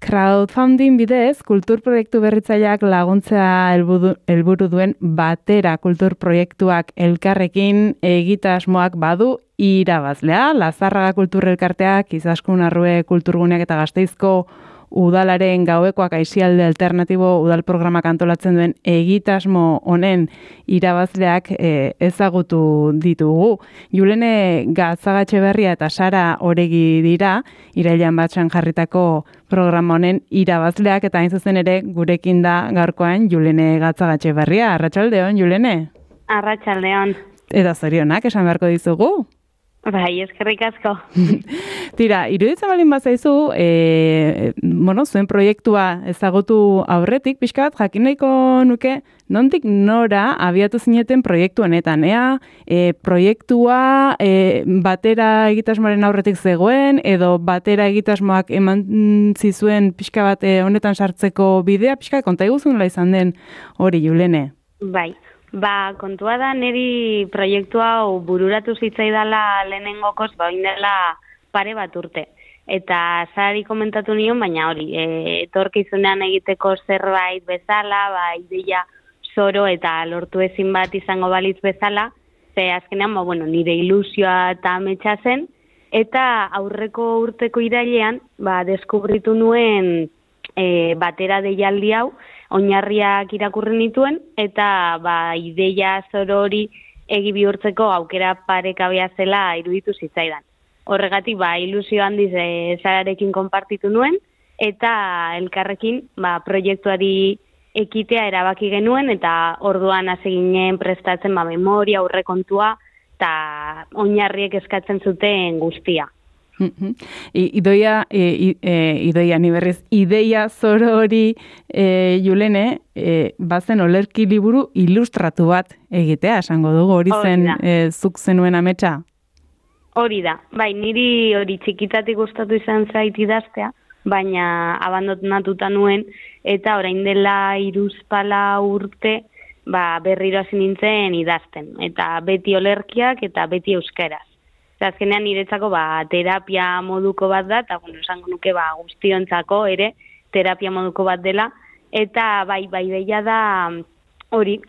crowdfunding bidez, kultur proiektu berritzaileak laguntzea helburu duen batera kultur proiektuak elkarrekin egitasmoak badu irabazlea. Lazarraga Kultur Elkarteak, Izaskun Arrue Kulturguneak eta Gasteizko Udalaren Gauekoak Aisialde Alternatibo udal programak antolatzen duen egitasmo honen irabazleak ezagutu ditugu. Julene Gatzagatxeberria eta Sara Oregi dira, irailean batxan jarritako programa honen irabazleak, eta hain zuzen ere gurekin da gaurkoan Julene Gatzagatxeberria. Arratsaldeon, Julene? Arratsaldeon. Eta zorionak esan beharko dizugu? Bai, eskerrik asko. Tira, iruditzen balin bazaizu, zuen proiektua ezagutu aurretik, pixka bat, jakin nahiko nuke, nondik nora abiatu zineten proiektu honetan, proiektua batera egitasmoaren aurretik zegoen, edo batera egitasmoak eman zizuen pixka bat honetan sartzeko bidea, pixka konta iguzun izan den hori, Julene? Bai. Kontua da, niri proiektu hau bururatu zitzaidala lehenengokoz, oindela pare bat urte. Eta Sarari komentatu nion, baina hori, etorkizunean egiteko zerbait bezala, ideia zoro eta lortu ezin bat izango balitz bezala, ze azkenean, nire ilusioa eta ametsa zen, eta aurreko urteko irailean, deskubritu nuen batera deialdi hau, oinarriak irakurri nituen, eta ideia zoro hori egi bihurtzeko aukera parekabea zela iruditu zitzaidan. Horregatik, ilusio handiz Sararekin konpartitu nuen, eta elkarrekin proiektuari ekitea erabaki genuen, eta orduan hasi ginen prestatzen memoria, aurrekontua, eta oinarriek eskatzen zuten guztia. Idoia ni berriz, ideia zoro hori, Julene, bazen olerki liburu ilustratu bat egitea, esango dugu, hori zen zuk zenuen ametsa? Hori da, niri hori txikitatik gustatu izan zait idaztea, baina abandonatuta nuen, eta orain dela 3 urte berriro hasi nintzen idazten, eta beti olerkiak eta beti euskaraz. Azkenean niretzako terapia moduko bat da, eta esango nuke guztiontzako ere terapia moduko bat dela, eta deia da hori,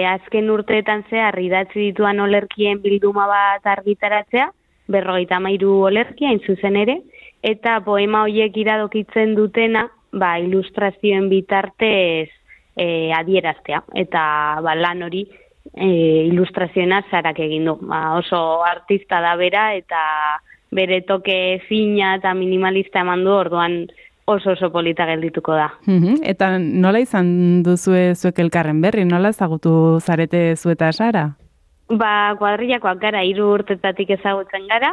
azken urteetan zehar idatzi dituan olerkien bilduma bat argitaratzea, 53 olerkia hain zuzen ere, eta poema horiek iradokitzen dutena ilustrazioen bitartez adieraztea, eta lan hori ilustrazioena Sarak egin du. Oso artista da bera, eta bere toke fina eta minimalista eman du, orduan oso polita geldituko da. Eta nola izan duzue zuek elkarren berri? Nola ezagutu zarete zu eta Sara? Kuadrillakoak gara, 3 urtetatik ezagutzen gara,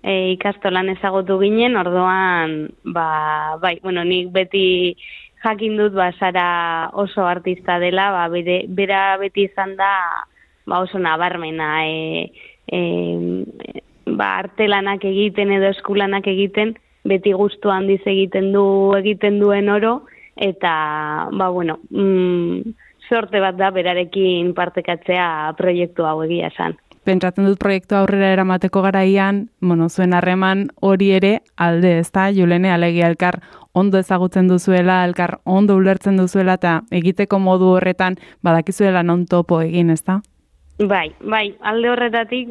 ikastolan ezagutu ginen, orduan, nik beti jakin dut Sara oso artista dela, bera beti izan da oso nabarmena, artelanak egiten edo eskulanak egiten, beti gustu handiz egiten duen oro, eta sorte bat da berarekin partekatzea proiektu hau egia esan. Pentsatzen dut proiektu aurrera eramateko garaian, zuen harreman hori ere alde, ezta, Julene, alegia elkar ondo ezagutzen duzuela, elkar ondo ulertzen duzuela, eta egiteko modu horretan badakizuela non topo egin, ezta? Bai, alde horretatik,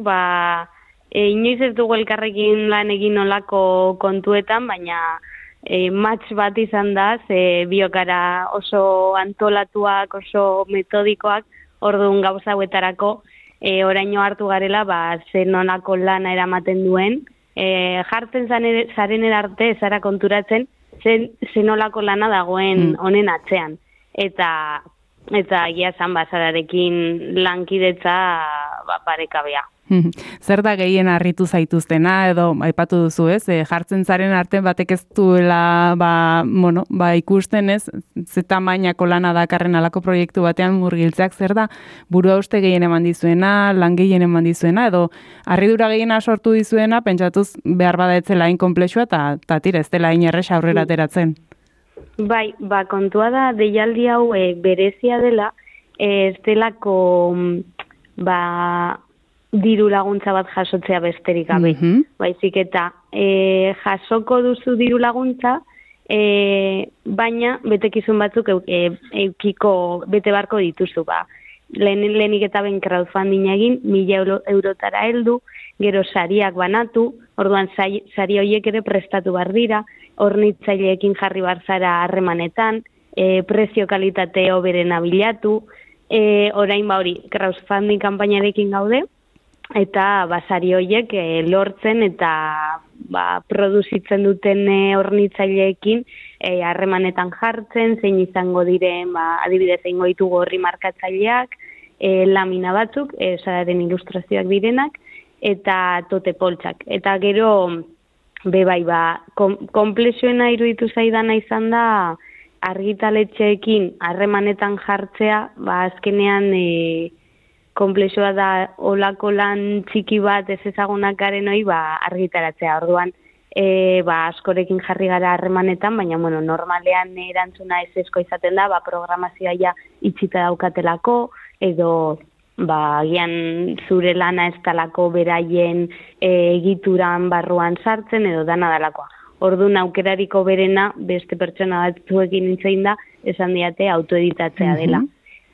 inoiz ez dugu elkarrekin lan egin olako kontuetan, baina match bat izan da, ze biokara oso antolatuak, oso metodikoak, orduan gauza hauetarako, oraino hartu garela, zen onako lana eramaten duen, jartzen zaren erarte zara konturatzen, zen olako lana dagoen honen atzean. Eta egia zan Sararekin lankidetza parekabea. Zer da gehien harritu zaituztena, edo aipatu duzu, ez? Jartzen zaren artean batek ez duela ikusten, ez? Ze tamainako lana dakarren alako proiektu batean murgiltzeak, zer da burua uste gehien eman dizuena, lan gehien eman dizuena, edo harridura gehiena sortu dizuena, pentsatuz behar bada etzela inkomplexua, eta tira, ez dela inerrez aurrera ateratzen. Bai, kontua da deialdi hau berezia dela, ez delako diru laguntza bat jasotzea besterik gabe. Baizik eta jasoko duzu diru laguntza baina betekizun batzuk eukiko bete barko dituzu, ba. Lehenik eta ben crowdfunding egin, 1.000 eurotara heldu, gero sariak banatu, orduan sari horiek ere prestatu bar dira, hornitzaileekin jarri bar zara harremanetan, prezio kalitate hoberena bilatu, orain hori crowdfunding kanpainarekin gaude, eta sari horiek lortzen eta produzitzen duten hornitzaileekin harremanetan jartzen, zein izango diren, adibidez egingo ditugu horri markatzaileak, lamina batzuk, sararen ilustrazioak direnak, eta tote poltsak. Eta gero, konplexuena iruditu zaidana izan da, argitaletxeekin harremanetan jartzea, azkenean konplexua da olako lan txiki bat ez ezagunak garen hori argitaratzea. Orduan, askorekin jarri gara harremanetan, baina normalean erantzuna ezezko izaten da, programazioa ja itxita daukatelako, edo gian zure lana ez talako beraien egituran barruan sartzen, edo dana dalakoa. Orduan aukerariko berena beste pertsona batzuekin nintzein da, esan diate autoeditatzea dela.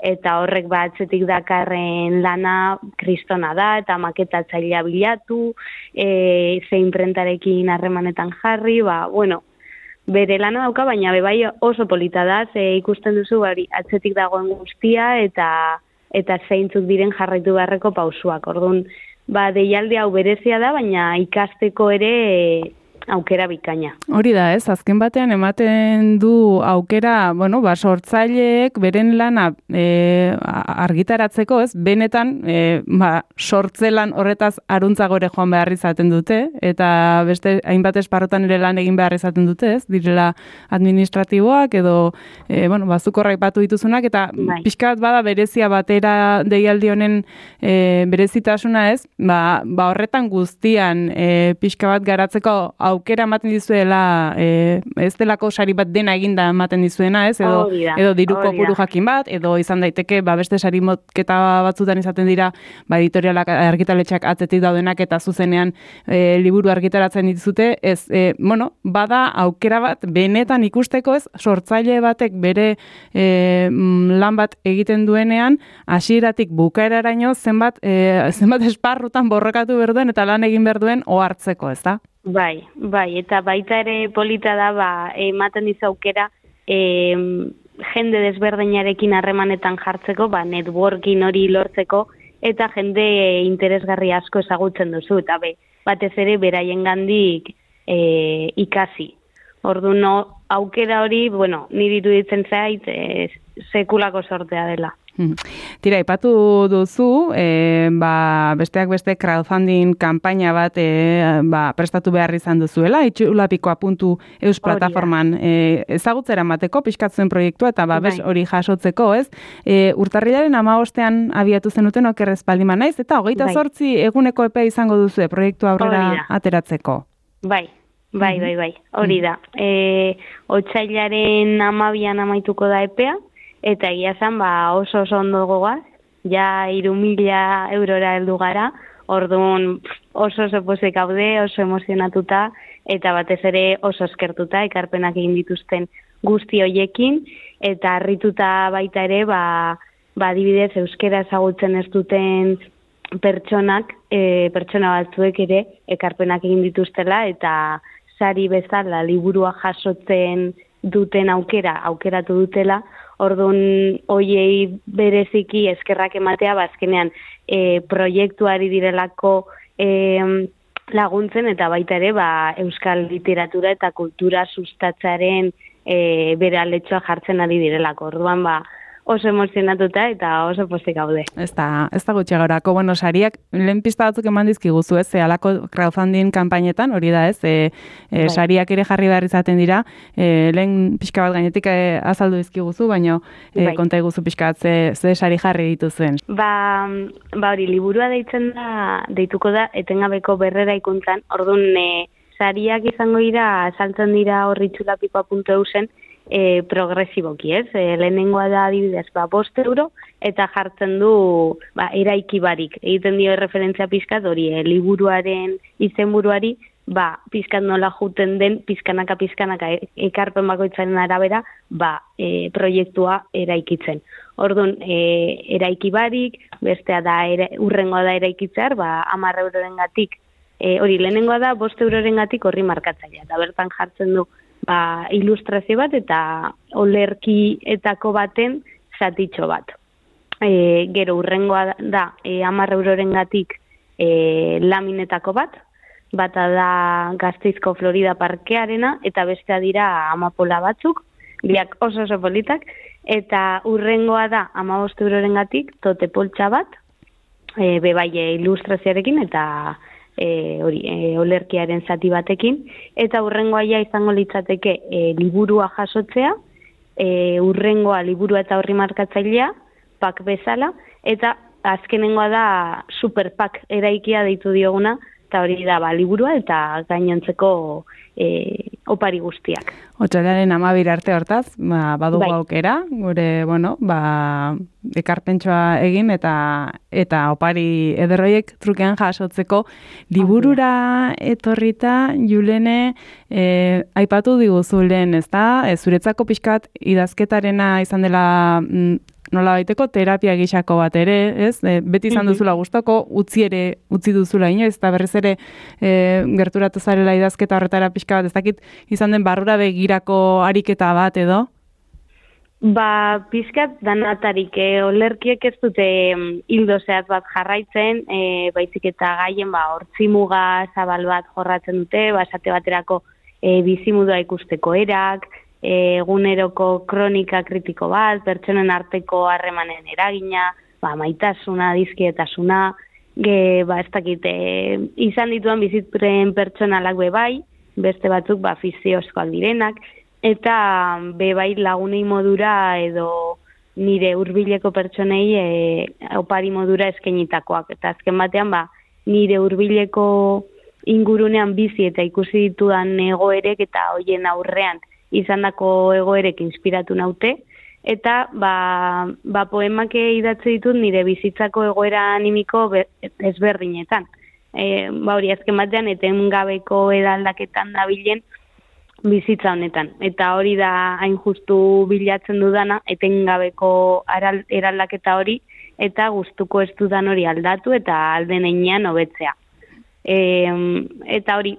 Eta horrek atzetik dakarren lana kristona da, eta maketatzailea bilatu, zein prentarekin harremanetan jarri, bere lana dauka, baina bai oso polita da, ikusten duzu atzetik dagoen guztia, eta zeintzuk diren jarraitu beharreko pausuak. Orduan, deialdi hau berezia da, baina ikasteko ere aukera bikaina. Hori da, azken batean ematen du aukera, sortzaileek beren lana argitaratzeko, benetan sortzelan horretaz aruntzago joan behar izaten dute, eta beste hainbat esparrotan ere lan egin behar izaten dute, direla administratiboak edo bazuk horraipatu dituzunak, eta pixka bat bada berezia batera deialdi honen berezitasuna horretan guztian pixka bat garatzeko aukera ematen dizuela, ez delako sari bat dena eginda ematen dizuena, edo diru kopuru jakin bat, edo izan daiteke, beste sari motketa batzutan izaten dira, editorialak argitaletxeak atzetik daudenak eta zuzenean liburu argitaratzen dituzute, bada aukera bat benetan ikusteko, sortzaile batek bere lan bat egiten duenean, hasieratik bukaeraraino zenbat esparrutan borrokatu behar duen eta lan egin behar duen ohartzeko, ez da? Bai, eta baita ere polita da, ematen dizu aukera, jende desberdinarekin harremanetan jartzeko, networking hori lortzeko, eta jende interesgarri asko ezagutzen duzu, eta batez ere beraien gandik ikasi. Orduan, aukera hori, niri iruditzen zait, sekulako sortea dela. Tira, ipatu duzu, besteak beste crowdfunding kanpaina bat prestatu behar izan duzuela, itxulapikoa.eus plataforman ezagutzera mateko, pixkatzuen proiektua, eta hori jasotzeko, ez? Urtarrilaren 15ean abiatu zenuten okerrez paldiman naiz, eta 28 eguneko epea izango duzu proiektua aurrera ateratzeko. Bai, hori da. Otsailaren 12an amaituko da epea, eta egia zen, oso ondo gogoaz, ja 3.000 eurora heldu gara, orduan oso pozik gaude, oso emozionatuta, eta batez ere oso eskertuta, ekarpenak egin dituzten guzti hoiekin, eta harrituta baita ere, adibidez, euskera ezagutzen ez duten pertsona batzuek ere, ekarpenak egin dituztela, eta sari bezala liburua jasotzen duten aukeratu dutela, orduan hoiei bereziki eskerrak ematea, azkenean proiektuari direlako laguntzen, eta baita ere euskal literatura eta kultura sustatzaren bere aletxoa jartzen ari direlako. Orduan oso emozionatuta eta oso pozik gaude. Ez da gutxiagorako, sariak lehen pista batzuk eman dizkiguzu, alako crowdfunding kanpainetan, hori da ez, sariak ere jarri behar izaten dira, lehen pixka bat gainetik azaldu dizkiguzu, baina konta iguzu pixka bat ze sari jarri dituzuen. Hori, liburua deituko da, etengabeko berrera ikuntzan, orduan sariak izango dira, saltzen dira horri itxulapikoa.eusen, progresiboki, ez? Lehenengoa da adibidez, 5 euro, eta jartzen du eraiki barik. Egiten dio referentzia pixkat hori, liburuaren izenburuari pizkat nola juten den, pizkanaka ekarpen bakoitzaren arabera, proiektua eraikitzen. Orduan, eraiki barik, bestea da, urrengoa da eraikitzear, 10 eurorengatik, hori lehenengoa da, 5 eurorengatik horri markatzailea. Eta bertan jartzen du, ilustrazio bat eta olerkietako baten zatitxo bat. Gero urrengoa da, 10 eurorengatik laminetako bata da Gasteizko Florida Parkearena, eta bestea dira amapola batzuk, biak oso politak, eta urrengoa da 15 eurorengatik tote poltsa bat, bebaie ilustrazioarekin eta olerkiaren zati batekin, eta urrengoa izango litzateke liburua jasotzea, urrengoa liburua eta horri markatzailea, pak bezala, eta azkenengoa da superpak eraikia deitu dioguna, eta hori da liburua eta gainontzeko opari guztiak. Otsailaren 12 arte hortaz, badugu aukera, gure, ekarpentsoa egin eta opari ederroiek trukean jasotzeko liburura etorrita, Julene, aipatu diguzu lehen, ezta? Zuretzako pixkat idazketarena izan dela nola baiteko terapia gixako bat ere, ez? Beti izan duzula gustoko, utzi duzula inoiz, eta berriz ere gerturatu zarela idazketa horretara pixka bat, ez dakit izan den barrura begirako ariketa bat edo? Pixkat danatarik, olerkiek ez dute hildo zehatz bat jarraitzen, baizik eta gaien hortzimuga zabal bat jorratzen dute, esate baterako bizimudua ikusteko erak, eguneroko kronika kritiko bat, pertsonen arteko harremanen eragina, maitasuna, dizkietasuna, ez dakit, izan dituan bizitzen pertsonalak bebai, beste batzuk fiziozkoak direnak, eta bebai lagunei modura edo nire hurbileko pertsonei opari modura eskainitakoak. Eta azken batean nire hurbileko ingurunean bizi eta ikusi ditudan egoerek eta hoien aurrean izandako egoerek inspiratu naute, eta poemak idatzi ditut nire bizitzako egoera animiko ezberdinetan. Hori azken batean etengabeko edaldaketan dabilen bizitza honetan. Eta hori da hain justu bilatzen dudana, etengabeko eraldaketa hori, eta gustuko ez dudan hori aldatu eta alden heinean hobetzea. Eta hori,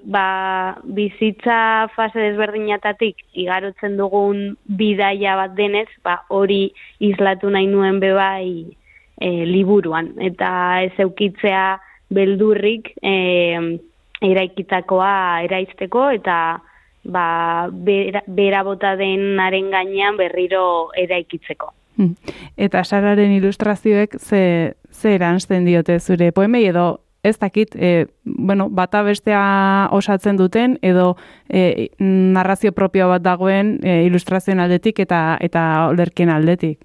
bizitza fase desberdinatatik igarotzen dugun bidaia bat denez, hori islatu nahi nuen bebai liburuan. Eta ez eukitzea beldurrik eraikitakoa eraizteko eta bera bota denaren gainean berriro eraikitzeko. Eta Sararen ilustrazioek ze eransten diote zure poemei edo ez dakit, bata bestea osatzen duten edo narrazio propio bat dagoen ilustrazioen aldetik eta olerkien aldetik?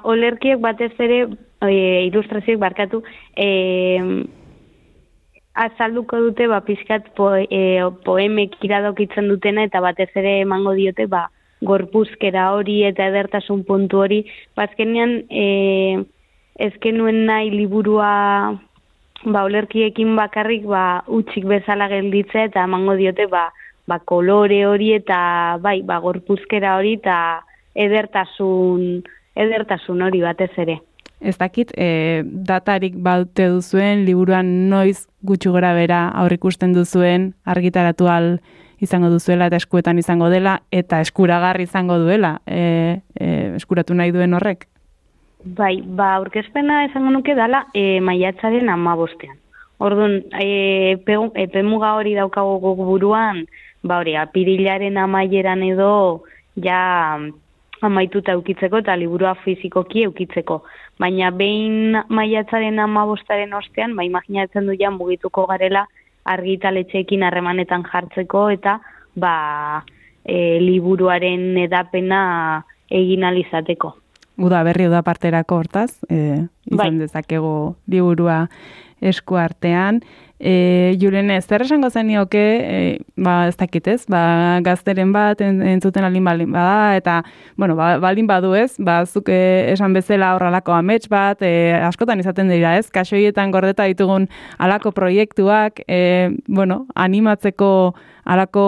Olerkiek batez ere, ilustrazioek barkatu, azalduko dute pixkat poemek iradokitzen dutena eta batez ere emango diote gorpuzkera hori eta edertasun puntu hori. Azkenean ezkenuen nahi liburua olerkiekin bakarrik utxik bezala gelditzea eta emango diote kolore hori eta gorpuzkera hori eta edertasun hori batez ere. Ez dakit, datarik baute duzuen, liburuan noiz gutxi gora bera aurrikusten duzuen, argitaratu al izango duzuela eta eskuetan izango dela, eta eskuragarri izango duela, eskuratu nahi duen horrek? Aurkezpena esango nuke dela maiatzaren 15. Orduan, epemuga hori daukago buruan, apirilaren amaieran edo ja amaituta eukitzeko eta liburua fizikoki eukitzeko. Baina behin maiatzaren 15. ostean, imaginatzen du ja mugituko garela argitaletxeekin harremanetan jartzeko eta liburuaren edapena egin alizateko. Uda berri uda parterako hortaz, izan dezakego liburua eskuartean. Julene, zer esango zenioke, ez dakit ez, gazteren bat entzuten alin baldin bada, eta, bueno, baldin badu ez, zuk esan bezala horrelako amets bat, askotan izaten dira ez, kasoietan gordeta ditugun alako proiektuak, animatzeko alako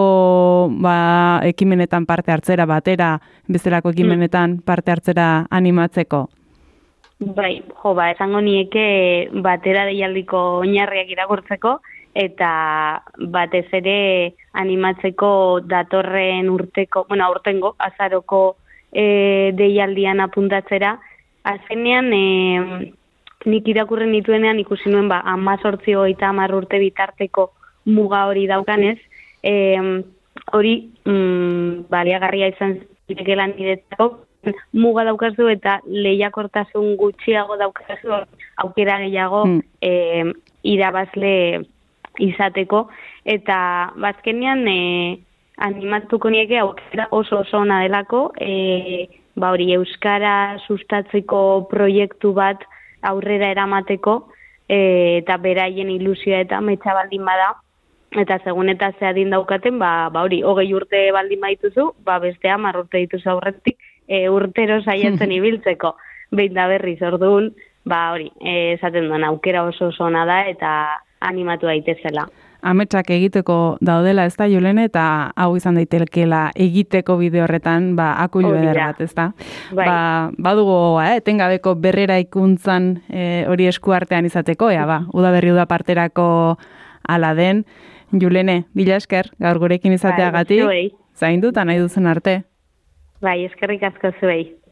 ekimenetan parte hartzera batera, bezalako ekimenetan parte hartzera animatzeko. Bai, esango nieke batera deialdiko oinarriak irakurtzeko eta batez ere animatzeko datorren aurtengo azaroko deialdian apuntatzera. Azkenean nik irakurren dituenean ikusi nuen 18-30 urte bitarteko muga hori daukanez, hori baliagarria izan zitekeela niretzako, muga daukazu eta lehiakortasun gutxiago daukazu aukera gehiago irabazle izateko, eta bazkenean animatuko nieke aukera oso ona delako, hori euskara sustatzeko proiektu bat aurrera eramateko, eta beraien ilusioa eta metxa baldin bada, eta segun eta ze adin daukaten, hori 20 urte baldin badituzu, beste 10 urte dituzu aurretik, urtero saiatzen ibiltzeko, behin da berriz orduan, hori, esaten duen aukera oso ona da eta animatu daitezela. Ametsak egiteko daudela ez da, Julene, eta hau izan daitekeela egiteko bide horretan, akulu eder bat, ez da? Bai. Badugu, etengabeko berrera ikuntzan hori eskuartean izateko, udaberri udaparterako ala den. Julene, mila esker, gaur gurekin izateagatik, zaindu eta nahi duzen arte. Bai, eskerrik asko zuei.